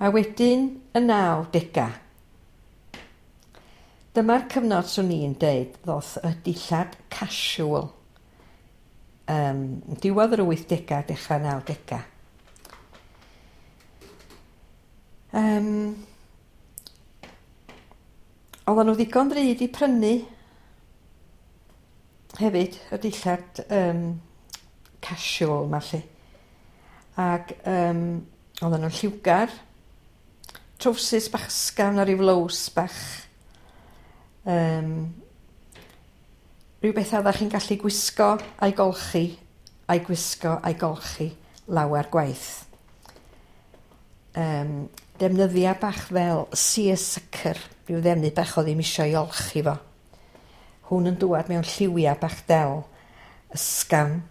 A wedyn y 90au. Dyma'r cyfnod swn i'n deud ddoth y dillad casual. Diwedd yr 80au, dechrau 90au. Oedden nhw ddigon ddrud i prynu hefyd, y dillad casual 'ma 'lly. Ac oedden nhw'n lliwgar, trowsus bach ysgafn a ryw flows bach. Rhyw bethau oeddech chi'n gallu gwisgo a'i golchi, a'i gwisgo a'i golchi lawer gwaith. Defnyddiau bach fel seersucker, rhyw ddefnydd bach oedd ddim isio ei olchi fo. Hwn yn dŵad mewn lliwiau bach del, ysgafn,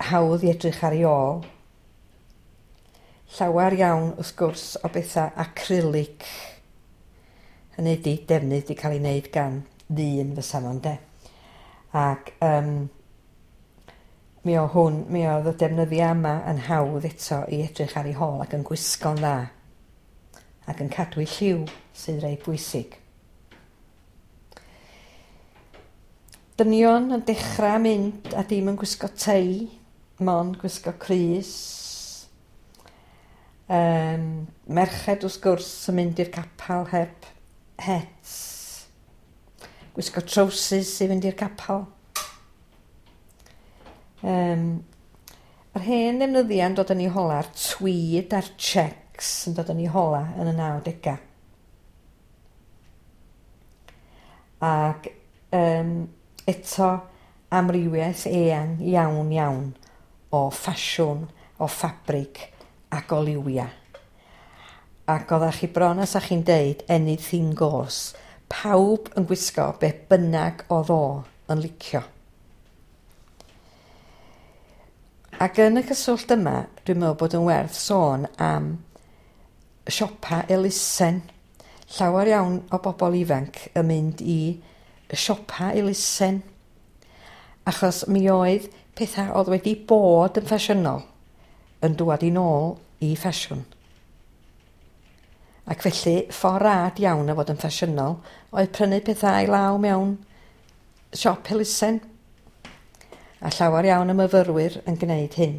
hawdd i edrych ar ei ôl. Llawer iawn, wrth gwrs, o bethau acrylic. Hynny ydi, defnydd wedi cael ei wneud gan ddyn fysa fo, ynde. Ac mi o hwn, mi oedd y defnyddiau yma yn hawdd eto i edrych ar ei hôl ac yn gwisgo'n dda. Ac yn cadw ei lliw sydd reit bwysig. Dynion yn dechrau mynd a dim yn gwisgo tei, mond gwisgo crys. Merched wrth gwrs yn mynd i'r capel heb hets. Gwisgo trowsus i fynd i'r capel. Yr hen ddefnyddiau yn dod yn ei hola'r tweed a'r checks yn dod yn ei hola yn y 90au. Ac eto amrywiaeth eang iawn iawn o ffasiwn, o ffabrig ac o liwiau. Ac oeddech chi bron as chi'n deud anything goes. Pawb yn gwisgo be bynnag oedd o yn licio. Ac yn y cyswllt yma, dwi'n meddwl bod yn werth sôn am siopa elusen. Llawer iawn o bobl ifanc yn mynd i siopa elusen. Achos mi oedd pethau oedd wedi bod yn ffasiynol yn dŵad i nôl i ffasiwn. Ac felly, ffordd rad iawn o fod yn ffasiynol oedd prynu pethau i law mewn siop elusen. A llawer iawn o myfyrwyr yn gwneud hyn.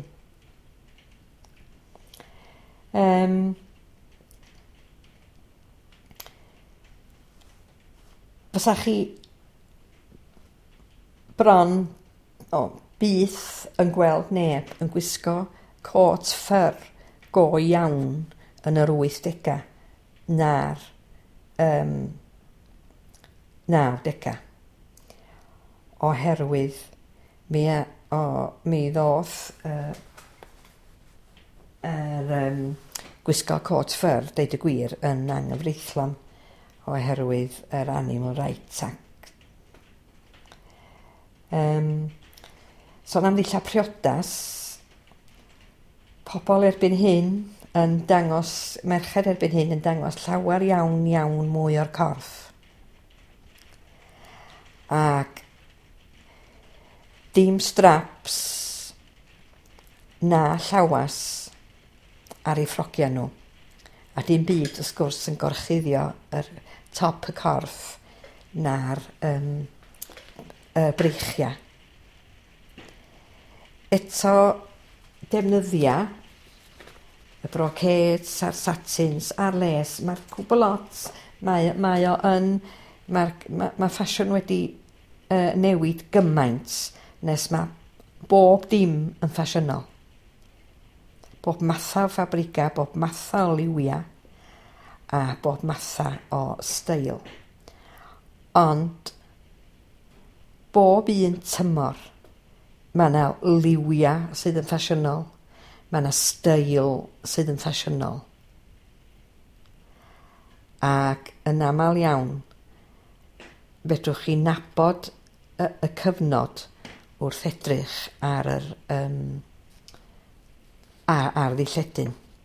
Fysa chi bron o byth yn gweld neb yn gwisgo cot ffyr go iawn yn yr 80au na'r 90au. Oherwydd mi ddoth yr gwisgo cot ffyr, deud y gwir, yn anghyfreithlon oherwydd yr Animal Rights Act. Sôn am ddillad priodas, pobl erbyn hyn yn dangos, merched erbyn hyn yn dangos llawer iawn iawn mwy o'r corff. Ac dim straps na llawas ar eu ffrogiau nhw. A dim byd wrth gwrs yn gorchuddio yr top y corff na'r y breichiau. Eto defnyddia y brocades a'r satins a'r les, mae'r cwbl lot, mae o yn, mae ffasiwn wedi newid gymaint nes mae bob dim yn ffasiynol. Bob matha o ffabriga, bob matha o liwia a bob matha o steil. Ond bob un tymor mae yna liwia sydd yn ffasiynol, mae yna steil sydd yn ffasiynol. Ac yn aml iawn, fedrwch chi nabod y cyfnod wrth edrych ar yr ar ddilledyn.